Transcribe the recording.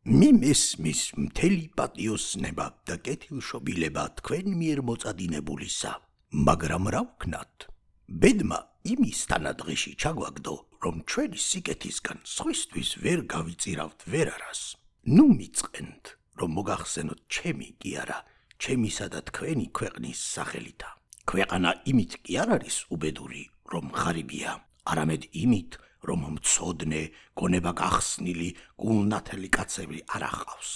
მიმესმის მთელი პატიოსნება და კეთილშობილება თქვენ მიერ მოწადინებულისა, მაგრამ რა ვქნათ? ბედმა იმის თანადღეში ჩაგვაგდო, რომ ჩვენი სიკეთისგან სხვისთვის ვერ გავიწირავთ ვერარას. ნუ მიწყენთ, რომ მოგახსენოთ ჩემი კი არა, ჩემისა და თქვენი ქვეყნის სახელითა. ქვეყანა იმით კი არ არის უბედური, რომ ღარიბია, არამედ იმით, რომ მცოდნე, გონება გახსნილი, გულნათელი კაცები არ ახავს.